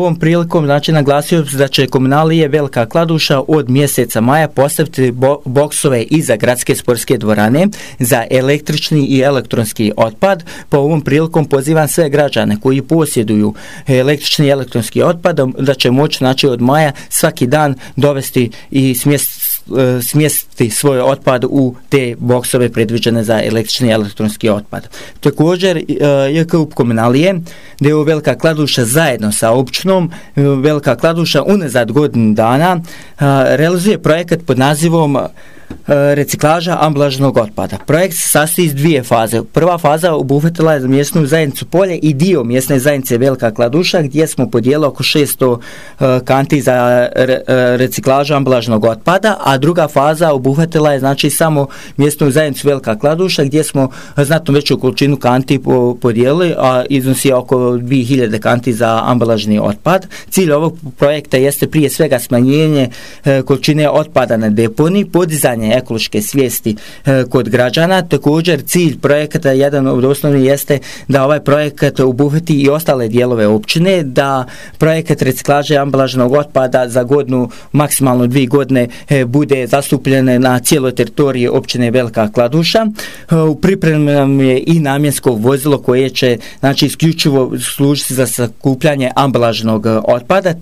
Ovom prilikom naglasio da će komunalije Velika Kladuša od mjeseca maja postaviti boksove iza gradske sportske dvorane za električni i elektronski otpad. Po ovom prilikom pozivam sve građane koji posjeduju električni i elektronski otpad da će moći od maja svaki dan dovesti i smjestiti svoj otpad u te boksove predviđene za električni i elektronski otpad. Također JKUP komunalije d.o.o. Velika Kladuša zajedno sa općinom Velika Kladuša unazad godinu dana realizuje projekat pod nazivom reciklaža ambalažnog otpada. Projekt se sastoji iz dvije faze. Prva faza obuhvatila je mjesnu zajednicu Polje i dio mjesne zajednice Velika Kladuša gdje smo podijelili oko 600 kanti za reciklažu ambalažnog otpada, a druga faza obuhvatila je samo mjesnu zajednicu Velika Kladuša gdje smo znatno veću količinu kanti podijelili, a iznosi oko 2000 kanti za ambalažni otpad. Cilj ovog projekta jeste prije svega smanjenje količine otpada na deponiji, podizanje ekološke svijesti kod građana. Također cilj projekata, jedan od osnovnih, jeste da ovaj projekat obuhvati i ostale dijelove općine, da projekat reciklaže ambalažnog otpada za godinu, maksimalno 2 godine bude zastupljen na cijeloj teritoriji općine Velika Kladuša. U pripremi nam je i namjensko vozilo koje će isključivo služiti za sakupljanje ambalažnog otpada.